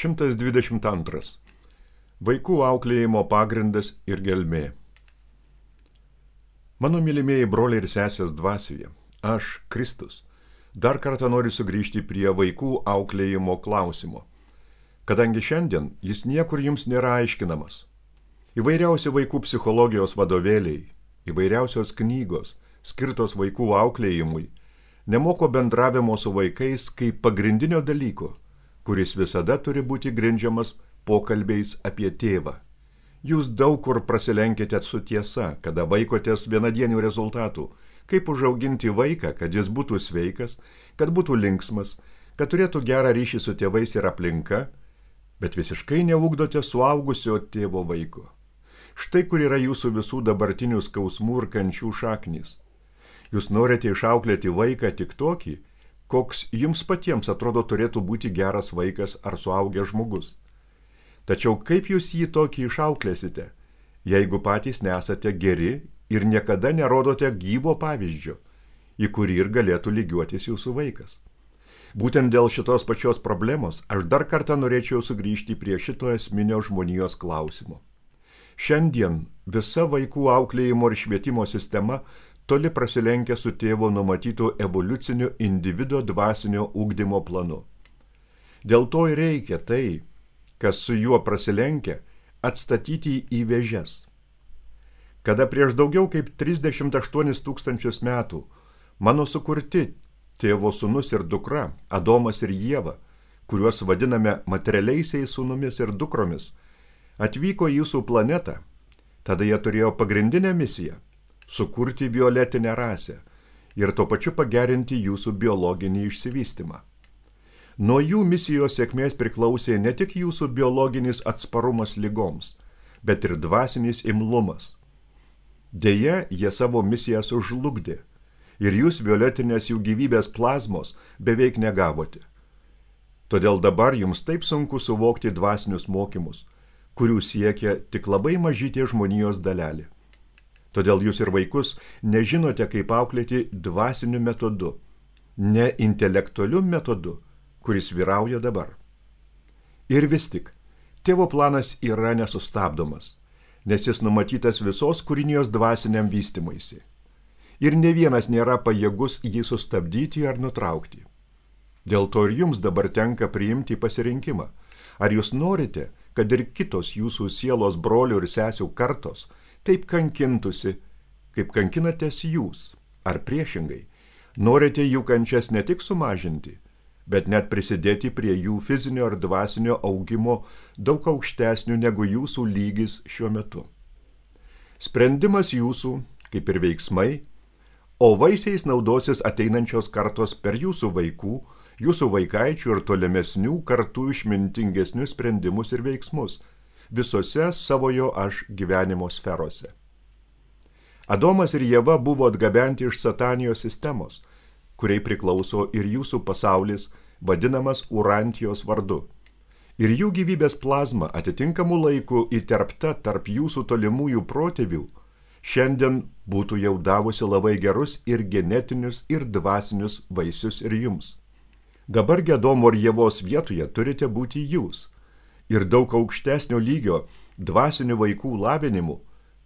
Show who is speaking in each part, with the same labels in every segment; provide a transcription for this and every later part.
Speaker 1: 122. Vaikų auklėjimo pagrindas ir gelmė. Mano mylimieji broliai ir sesės dvasioje, aš, Kristus, dar kartą noriu sugrįžti prie vaikų auklėjimo klausimo, kadangi šiandien jis niekur jums nėra aiškinamas. Įvairiausi vaikų psichologijos vadovėliai, įvairiausios knygos, skirtos vaikų auklėjimui, nemoko bendravimo su vaikais kaip pagrindinio dalyko, kuris visada turi būti grindžiamas pokalbiais apie tėvą. Jūs daug kur prasilenkite su tiesa, kada vaikotės vienadienių rezultatų, kaip užauginti vaiką, kad jis būtų sveikas, kad būtų linksmas, kad turėtų gerą ryšį su tėvais ir aplinka, bet visiškai neugdote suaugusio tėvo vaiko. Štai kur yra jūsų visų dabartinių skausmų ir kančių šaknys. Jūs norite išauklėti vaiką tik tokį, koks jums patiems atrodo turėtų būti geras vaikas ar suaugęs žmogus. Tačiau kaip jūs jį tokį išauklėsite, jeigu patys nesate geri ir niekada nerodote gyvo pavyzdžio, į kurį ir galėtų lygiuotis jūsų vaikas? Būtent dėl šitos pačios problemos aš dar kartą norėčiau sugrįžti prie šito esminio žmonijos klausimo. Šiandien visa vaikų auklėjimo ir švietimo sistema toli prasilenkia su tėvo numatytu evoliuciniu individo dvasinio ugdymo planu. Dėl to ir reikia tai, kas su juo prasilenkia, atstatyti į vėžes. Kada prieš daugiau kaip 38 000 metų mano sukurti tėvo sūnus ir dukra, Adomas ir Ieva, kuriuos vadiname materialiaisiais sūnumis ir dukromis, atvyko į jūsų planetą, tada jie turėjo pagrindinę misiją – sukurti violetinę rasę ir tuo pačiu pagerinti jūsų biologinį išsivystymą. Nuo jų misijos sėkmės priklausė ne tik jūsų biologinis atsparumas ligoms, bet ir dvasinis imlumas. Deja, jie savo misiją sužlugdė ir jūs violetinės jų gyvybės plazmos beveik negavote. Todėl dabar jums taip sunku suvokti dvasinius mokymus, kurių siekia tik labai mažytė žmonijos dalelė. Todėl jūs ir vaikus nežinote, kaip auklėti dvasiniu metodu, ne intelektualiu metodu, kuris vyrauja dabar. Ir vis tik, tėvo planas yra nesustabdomas, nes jis numatytas visos kūrinijos dvasiniam vystymuisi. Ir ne vienas nėra pajėgus jį sustabdyti ar nutraukti. Dėl to ir jums dabar tenka priimti pasirinkimą. Ar jūs norite, kad ir kitos jūsų sielos brolių ir sesių kartos taip kankintusi, kaip kankinatės jūs, ar priešingai, norite jų kančias ne tik sumažinti, bet net prisidėti prie jų fizinio ir dvasinio augimo daug aukštesnių negu jūsų lygis šiuo metu. Sprendimas jūsų, kaip ir veiksmai, o vaisiais naudosis ateinančios kartos per jūsų vaikų, jūsų vaikaičių ir tolimesnių kartų išmintingesnius sprendimus ir veiksmus visose savojo aš gyvenimo sferose. Adomas ir Ieva buvo atgabenti iš satanijos sistemos, kuriai priklauso ir jūsų pasaulis, vadinamas Urantijos vardu. Ir jų gyvybės plazma atitinkamų laikų įterpta tarp jūsų tolimųjų protėvių, šiandien būtų jau davusi labai gerus ir genetinius ir dvasinius vaisius ir jums. Dabar Adomo ir Ievos vietoje turite būti jūs ir daug aukštesnio lygio dvasinių vaikų lavinimu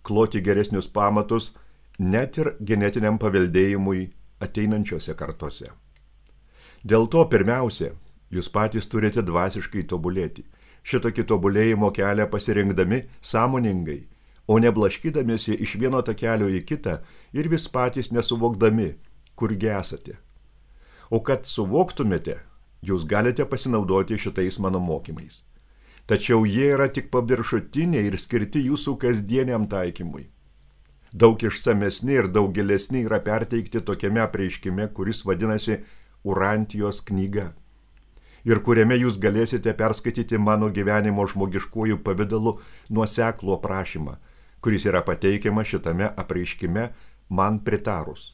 Speaker 1: kloti geresnius pamatus net ir genetiniam paveldėjimui ateinančiose kartose. Dėl to pirmiausia, jūs patys turite dvasiškai tobulėti, šitokį tobulėjimo kelią pasirinkdami sąmoningai, o ne blaškydamiesi iš vieno takelio į kitą ir vis patys nesuvokdami, kurgi esate. O kad suvoktumėte, jūs galite pasinaudoti šitais mano mokymais. Tačiau jie yra tik paviršutiniai ir skirti jūsų kasdieniam taikymui. Daug išsamesni ir daug gilesni yra perteikti tokiame apreiškime, kuris vadinasi Urantijos knyga, ir kuriame jūs galėsite perskaityti mano gyvenimo žmogiškojų pavidalu nuoseklų aprašymą, kuris yra pateikiamas šitame apreiškime man pritarus.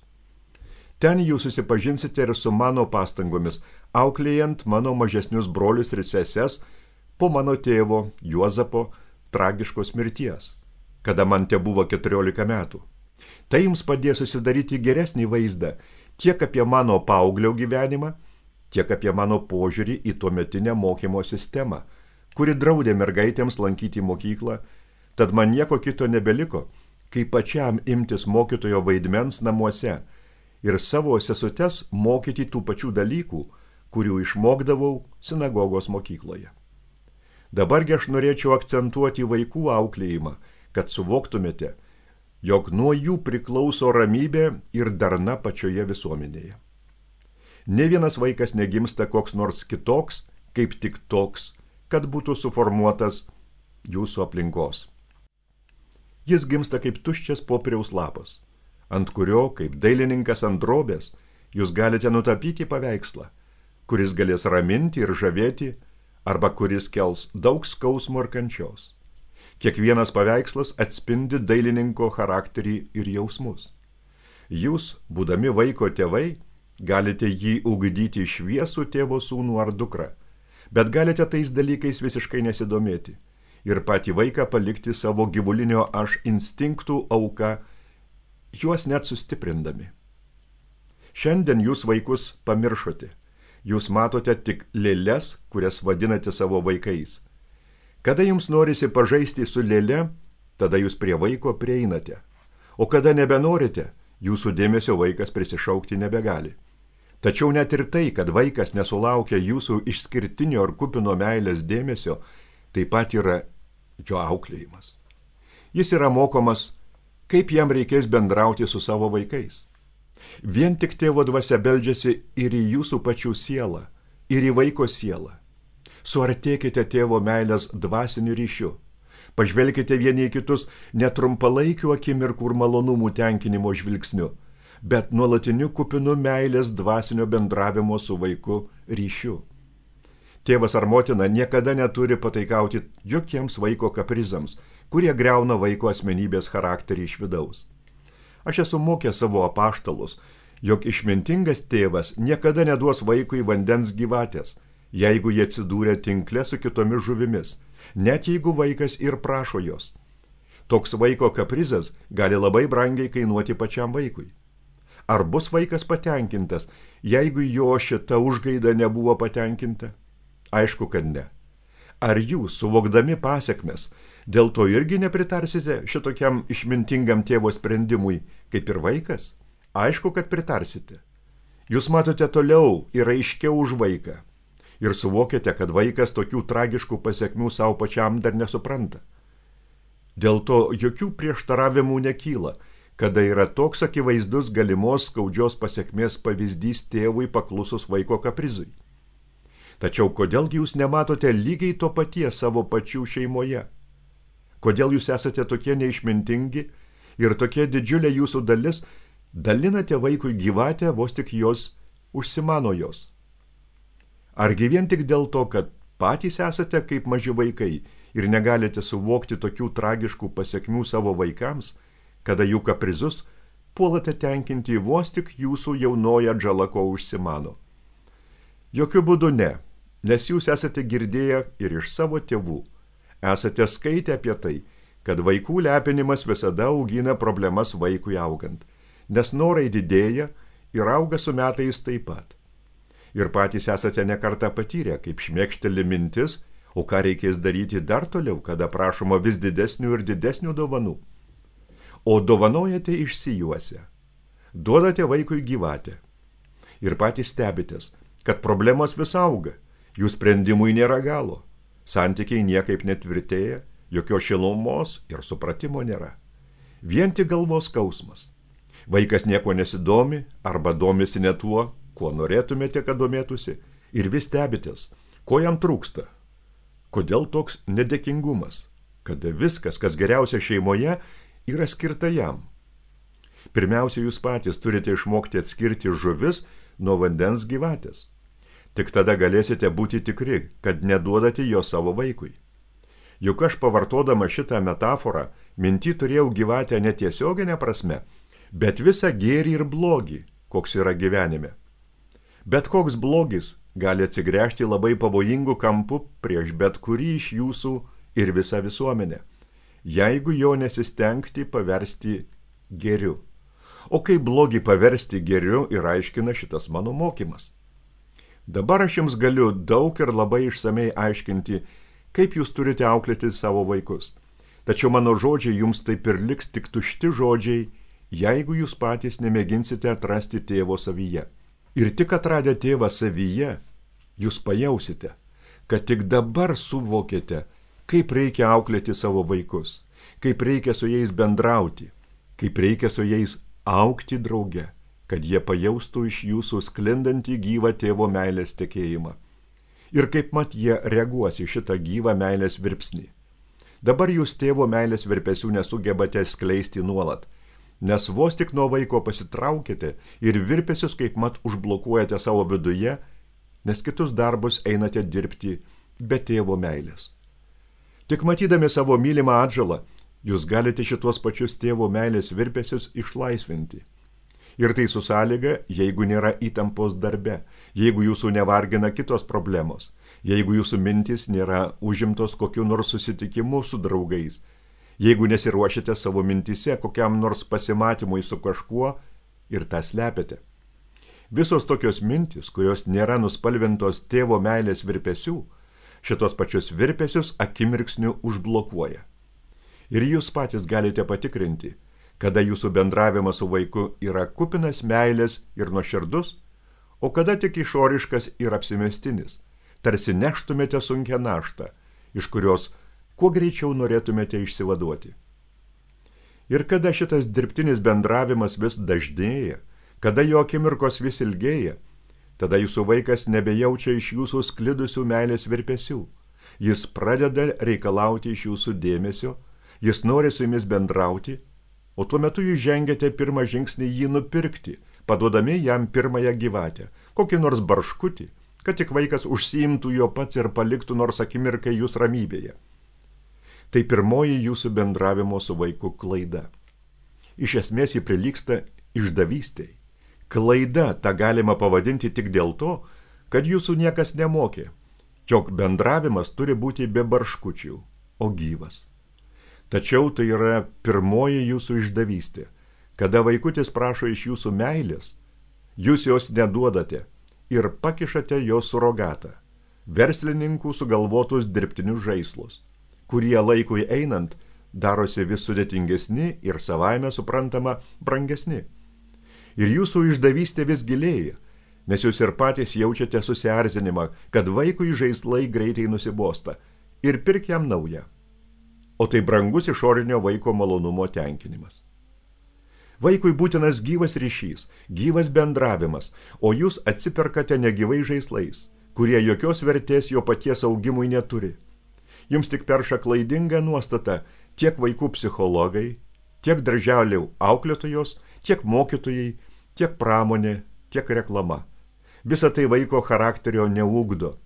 Speaker 1: Ten jūs susipažinsite ir su mano pastangomis, auklėjant mano mažesnius brolius ir seses po mano tėvo Juozapo tragiškos mirties, kada man tebuvo 14 metų. Tai jums padės susidaryti geresnį vaizdą tiek apie mano paauglio gyvenimą, tiek apie mano požiūrį į tuometinę mokymo sistemą, kuri draudė mergaitėms lankyti mokyklą, tad man nieko kito nebeliko, kaip pačiam imtis mokytojo vaidmens namuose ir savo sesutes mokyti tų pačių dalykų, kurių išmokdavau sinagogos mokykloje. Dabargi aš norėčiau akcentuoti vaikų auklėjimą, kad suvoktumėte, jog nuo jų priklauso ramybė ir darna pačioje visuomenėje. Ne vienas vaikas negimsta koks nors kitoks, kaip tik toks, kad būtų suformuotas jūsų aplinkos. Jis gimsta kaip tuščias popieriaus lapas, ant kurio, kaip dailininkas ant drobės, jūs galite nutapyti paveikslą, kuris galės raminti ir žavėti, arba kuris kels daug skausmo ir kančios. Kiekvienas paveikslas atspindi dailininko charakterį ir jausmus. Jūs, būdami vaiko tėvai, galite jį ugdyti šviesų tėvo sūnų ar dukrą, bet galite tais dalykais visiškai nesidomėti ir patį vaiką palikti savo gyvulinio aš instinktų auka, juos net sustiprindami. Šiandien jūs vaikus pamiršote. Jūs matote tik lėles, kurias vadinate savo vaikais. Kada jums norisi pažaisti su lėle, tada jūs prie vaiko prieinate. O kada nebenorite, jūsų dėmesio vaikas prisišaukti nebegali. Tačiau net ir tai, kad vaikas nesulaukia jūsų išskirtinio ar kupino meilės dėmesio, taip pat yra jo auklėjimas. Jis yra mokomas, kaip jam reikės bendrauti su savo vaikais. Vien tik tėvo dvasia beldžiasi ir į jūsų pačių sielą, ir į vaiko sielą. Suartėkite tėvo meilės dvasiniu ryšiu. Pažvelkite vieni į kitus netrumpalaikių akimirkų ir malonumų tenkinimo žvilgsniu, bet nuolatiniu kupinu meilės dvasinio bendravimo su vaiku ryšiu. Tėvas ar motina niekada neturi pataikauti jokiems vaiko kaprizams, kurie griauna vaiko asmenybės charakterį iš vidaus. Aš esu mokęs savo apaštalus, jog išmintingas tėvas niekada neduos vaikui vandens gyvatės, jeigu jie atsidūrė tinkle su kitomis žuvimis, net jeigu vaikas ir prašo jos. Toks vaiko kaprizas gali labai brangiai kainuoti pačiam vaikui. Ar bus vaikas patenkintas, jeigu jo šita užgaida nebuvo patenkinta? Aišku, kad ne. Ar jūs, suvokdami pasekmes, dėl to irgi nepritarsite šitokiam išmintingam tėvo sprendimui, kaip ir vaikas? Aišku, kad pritarsite. Jūs matote toliau ir aiškiau už vaiką. Ir suvokėte, kad vaikas tokių tragiškų pasekmių savo pačiam dar nesupranta. Dėl to jokių prieštaravimų nekyla, kada yra toks akivaizdus galimos skaudžios pasekmės pavyzdys tėvui paklusus vaiko kaprizui. Tačiau kodėlgi jūs nematote lygiai to paties savo pačių šeimoje? Kodėl jūs esate tokie neišmintingi ir tokia didžiulė jūsų dalis dalinate vaikui gyvatę, vos tik jos užsimano jos? Argi vien tik dėl to, kad patys esate kaip maži vaikai ir negalite suvokti tokių tragiškų pasekmių savo vaikams, kada jų kaprizus puolate tenkinti vos tik jūsų jaunoji atžala ko užsimano? Jokiu būdu ne, nes jūs esate girdėję ir iš savo tėvų. Esate skaitę apie tai, kad vaikų lepinimas visada augina problemas vaikui augant, nes norai didėja ir auga su metais taip pat. Ir patys esate nekartą patyrę, kaip šmėkšteli mintis, o ką reikės daryti dar toliau, kada prašoma vis didesnių ir didesnių dovanų. O dovanojate išsijuose, duodate vaikui gyvatę ir patys stebitės, kad problemos vis auga, jų sprendimui nėra galo, santykiai niekaip netvirtėja, jokios šilumos ir supratimo nėra. Vien tik galvos skausmas. Vaikas nieko nesidomi arba domisi ne tuo, kuo norėtumėte, kad domėtųsi, ir vis stebitės, ko jam trūksta. Kodėl toks nedėkingumas, kada viskas, kas geriausia šeimoje, yra skirta jam? Pirmiausia, jūs patys turite išmokti atskirti žuvis nuo vandens gyvatės. Tik tada galėsite būti tikri, kad neduodate jo savo vaikui. Juk aš pavartodama šitą metaforą, minty turėjau gyvatę netiesioginę prasme, bet visą gėrį ir blogį, koks yra gyvenime. Bet koks blogis gali atsigręžti labai pavojingų kampų prieš bet kurį iš jūsų ir visą visuomenę, jeigu jo nesistengti paversti gėriu. O kaip blogį paversti gėriu ir aiškina šitas mano mokymas. Dabar aš jums galiu daug ir labai išsamei aiškinti, kaip jūs turite auklėti savo vaikus. Tačiau mano žodžiai jums taip ir liks tik tušti žodžiai, jeigu jūs patys nemėginsite atrasti tėvo savyje. Ir tik atradę tėvą savyje, jūs pajausite, kad tik dabar suvokėte, kaip reikia auklėti savo vaikus, kaip reikia su jais bendrauti, kaip reikia su jais augti drauge, kad jie pajaustų iš jūsų sklindantį gyvą tėvo meilės tekėjimą. Ir kaip mat jie reaguos į šitą gyvą meilės virpsnį. Dabar jūs tėvo meilės virpesių nesugebate skleisti nuolat, nes vos tik nuo vaiko pasitraukite ir virpesius kaip mat užblokuojate savo viduje, nes kitus darbus einate dirbti be tėvo meilės. Tik matydami savo mylimą atžalą, jūs galite šitos pačius tėvo meilės virpesius išlaisvinti. Ir tai su sąlyga, jeigu nėra įtampos darbe, jeigu jūsų nevargina kitos problemos, jeigu jūsų mintys nėra užimtos kokiu nors susitikimu su draugais, jeigu nesiruošiate savo mintise kokiam nors pasimatymui su kažkuo ir tą slepiate. Visos tokios mintys, kurios nėra nuspalvintos tėvo meilės virpesių, šitos pačius virpesius akimirksniu užblokuoja. Ir jūs patys galite patikrinti, kada jūsų bendravimas su vaiku yra kupinas meilės ir nuoširdus, o kada tik išoriškas ir apsimestinis, tarsi neštumėte sunkią naštą, iš kurios kuo greičiau norėtumėte išsivaduoti. Ir kada šitas dirbtinis bendravimas vis dažnėja, kada jo akimirkos vis ilgėja, tada jūsų vaikas nebejaučia iš jūsų sklidusių meilės virpesių. Jis pradeda reikalauti iš jūsų dėmesio, jis nori su jumis bendrauti, o tuo metu jūs žengiate pirmą žingsnį jį nupirkti, paduodami jam pirmąją gyvatę, kokį nors barškutį, kad tik vaikas užsiimtų jo pats ir paliktų nors akimirkai jūs ramybėje. Tai pirmoji jūsų bendravimo su vaiku klaida. Iš esmės ji prilygsta išdavystei. Klaida tą galima pavadinti tik dėl to, kad jūsų niekas nemokė, jog bendravimas turi būti be barškučių, o gyvas. Tačiau tai yra pirmoji jūsų išdavystė, kada vaikutis prašo iš jūsų meilės, jūs jos neduodate ir pakišate jo surogatą, verslininkų sugalvotus dirbtinius žaislus, kurie laikui einant darosi vis sudėtingesni ir savaime suprantama brangesni. Ir jūsų išdavystė vis gilėja, nes jūs ir patys jaučiate susierzinimą, kad vaikui žaislai greitai nusibosta ir pirk jam naują. O tai brangus išorinio vaiko malonumo tenkinimas. Vaikui būtinas gyvas ryšys, gyvas bendravimas, o jūs atsiperkate negyvai žaislais, kurie jokios vertės jo paties augimui neturi. Jums tik perša klaidinga nuostata tiek vaikų psichologai, tiek darželių auklėtojos, tiek mokytojai, tiek pramonė, tiek reklama. Visa tai vaiko charakterio neugdo.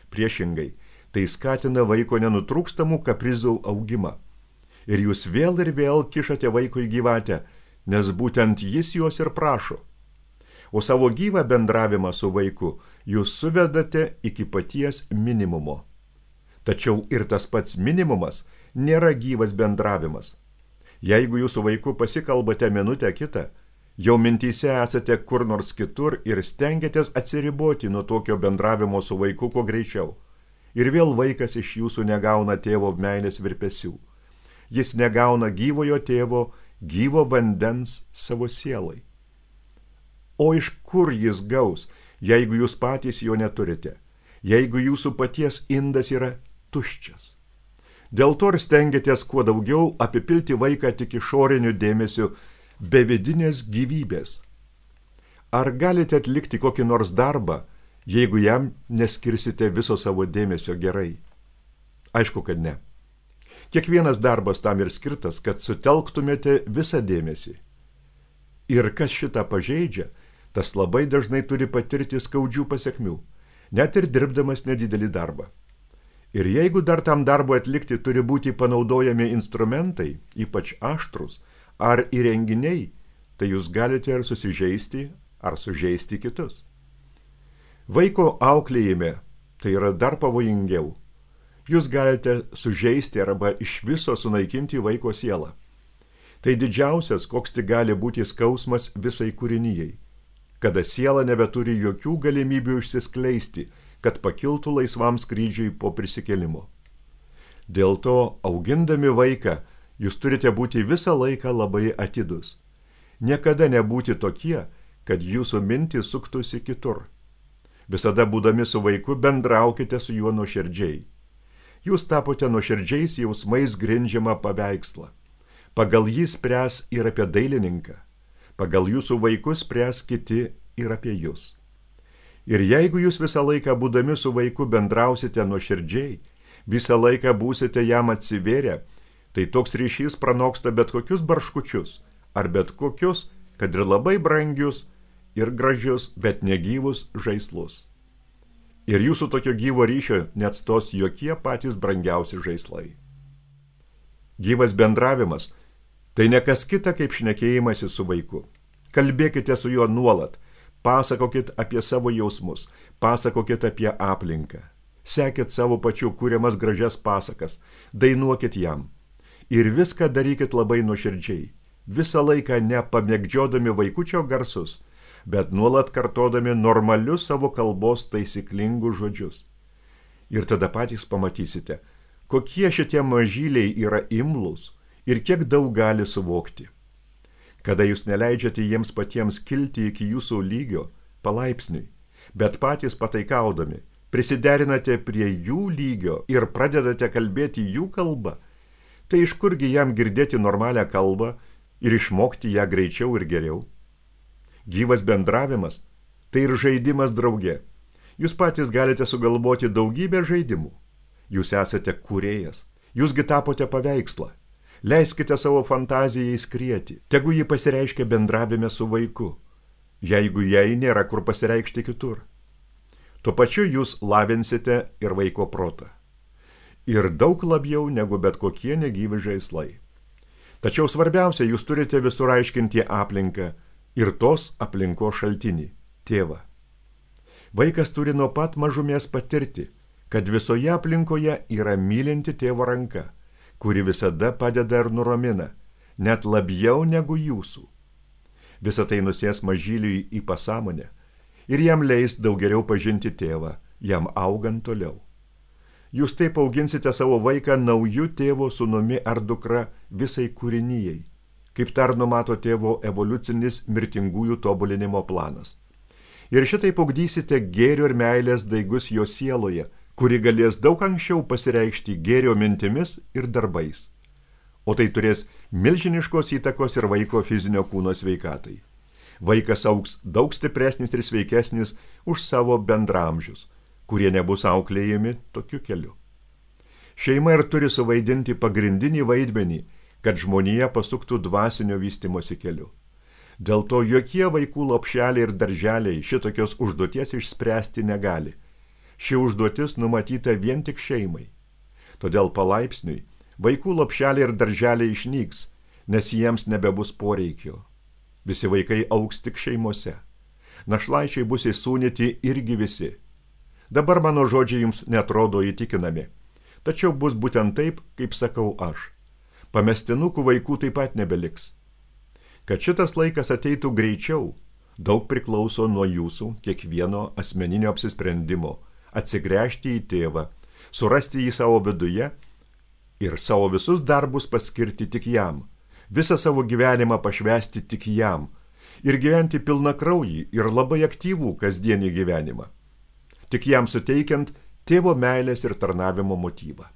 Speaker 1: Priešingai, tai skatina vaiko nenutrūkstamų kaprizų augimą. Ir jūs vėl ir vėl kišate vaikui gyvatę, nes būtent jis jos ir prašo. O savo gyvą bendravimą su vaiku jūs suvedate iki paties minimumo. Tačiau ir tas pats minimumas nėra gyvas bendravimas. Jeigu jūsų vaiku pasikalbate minutę kitą, jau mintyse esate kur nors kitur ir stengiatės atsiriboti nuo tokio bendravimo su vaiku kuo greičiau. Ir vėl vaikas iš jūsų negauna tėvo meilės virpesių. Jis negauna gyvojo tėvo, gyvo vandens savo sielai. O iš kur jis gaus, jeigu jūs patys jo neturite, jeigu jūsų paties indas yra tuščias? Dėl to ir stengiatės kuo daugiau apipilti vaiką tik išoriniu dėmesiu, be vidinės gyvybės. Ar galite atlikti kokį nors darbą, jeigu jam neskirsite viso savo dėmesio gerai? Aišku, kad ne. Kiekvienas darbas tam ir skirtas, kad sutelktumėte visą dėmesį. Ir kas šitą pažeidžia, tas labai dažnai turi patirti skaudžių pasekmių, net ir dirbdamas nedidelį darbą. Ir jeigu dar tam darbui atlikti turi būti panaudojami instrumentai, ypač aštrus, ar įrenginiai, tai jūs galite ir susižeisti, ar sužeisti kitus. Vaiko auklėjime tai yra dar pavojingiau. Jūs galite sužeisti arba iš viso sunaikinti vaiko sielą. Tai didžiausias, koks tik gali būti skausmas visai kūrinijai, kada siela nebeturi jokių galimybių išsiskleisti, kad pakiltų laisvam skrydžiui po prisikėlimo. Dėl to, augindami vaiką, jūs turite būti visą laiką labai atidus. Niekada nebūti tokie, kad jūsų mintys suktųsi kitur. Visada būdami su vaiku bendraukite su juo nuoširdžiai. Jūs tapote nuoširdžiais jausmais grindžiamą paveikslą. Pagal jį spręs ir apie dailininką. Pagal jūsų vaikus spręs kiti ir apie jūs. Ir jeigu jūs visą laiką būdami su vaiku bendrausite nuoširdžiai, visą laiką būsite jam atsivėrę, tai toks ryšys pranoksta bet kokius barškučius, ar bet kokius, kad ir labai brangius ir gražius, bet negyvus žaislus. Ir jūsų tokio gyvo ryšio neatstos jokie patys brangiausi žaislai. Gyvas bendravimas – tai ne kas kita kaip šnekėjimasi su vaiku. Kalbėkite su juo nuolat, pasakokit apie savo jausmus, pasakokit apie aplinką. Sekit savo pačių kuriamas gražias pasakas, dainuokit jam. Ir viską darykit labai nuoširdžiai, visą laiką nepamėgdžiodami vaikučio garsus, bet nuolat kartodami normalius savo kalbos taisyklingus žodžius. Ir tada patys pamatysite, kokie šitie mažyliai yra imlūs ir kiek daug gali suvokti. Kada jūs neleidžiate jiems patiems kilti iki jūsų lygio, palaipsniui, bet patys pataikaudami, prisiderinate prie jų lygio ir pradedate kalbėti jų kalbą, tai iš kurgi jam girdėti normalią kalbą ir išmokti ją greičiau ir geriau? Gyvas bendravimas – tai ir žaidimas drauge. Jūs patys galite sugalvoti daugybę žaidimų. Jūs esate kūrėjas, jūsgi tapote paveikslą. Leiskite savo fantazijai skrieti, tegu ji pasireiškia bendravime su vaiku, jeigu jai nėra kur pasireikšti kitur. Tuo pačiu jūs lavinsite ir vaiko protą. Ir daug labiau negu bet kokie negyvi žaislai. Tačiau svarbiausia, jūs turite visur aiškinti aplinką ir tos aplinkos šaltinį – tėvą. Vaikas turi nuo pat mažumės patirti, kad visoje aplinkoje yra mylinti tėvo ranka, kuri visada padeda ir nuramina, net labiau negu jūsų. Visą tai nusės mažyliui į pasąmonę ir jam leis daug geriau pažinti tėvą, jam augant toliau. Jūs taip auginsite savo vaiką nauju tėvo sūnumi ar dukra visai kūrinijai, kaip dar numato tėvo evoliucinis mirtingųjų tobulinimo planas. Ir šitaip ugdysite gėrio ir meilės daigus jo sieloje, kuri galės daug anksčiau pasireikšti gėrio mintimis ir darbais. O tai turės milžiniškos įtakos ir vaiko fizinio kūno sveikatai. Vaikas augs daug stipresnis ir sveikesnis už savo bendramžius, kurie nebus auklėjami tokiu keliu. Šeima ir turi suvaidinti pagrindinį vaidmenį, kad žmonija pasuktų dvasinio vystymosi keliu. Dėl to jokie vaikų lopšeliai ir darželiai šitokios užduoties išspręsti negali. Ši užduotis numatyta vien tik šeimai. Todėl palaipsniui vaikų lopšeliai ir darželiai išnyks, nes jiems nebebus poreikio. Visi vaikai augs tik šeimose. Našlaičiai bus įsūnyti irgi visi. Dabar mano žodžiai jums netrodo įtikinami, tačiau bus būtent taip, kaip sakau aš. Pamestinukų vaikų taip pat nebeliks. Kad šitas laikas ateitų greičiau, daug priklauso nuo jūsų kiekvieno asmeninio apsisprendimo, atsigręžti į tėvą, surasti jį savo viduje ir savo visus darbus paskirti tik jam, visą savo gyvenimą pašvęsti tik jam ir gyventi pilnakraujį ir labai aktyvų kasdienį gyvenimą, tik jam suteikiant tėvo meilės ir tarnavimo motyvą.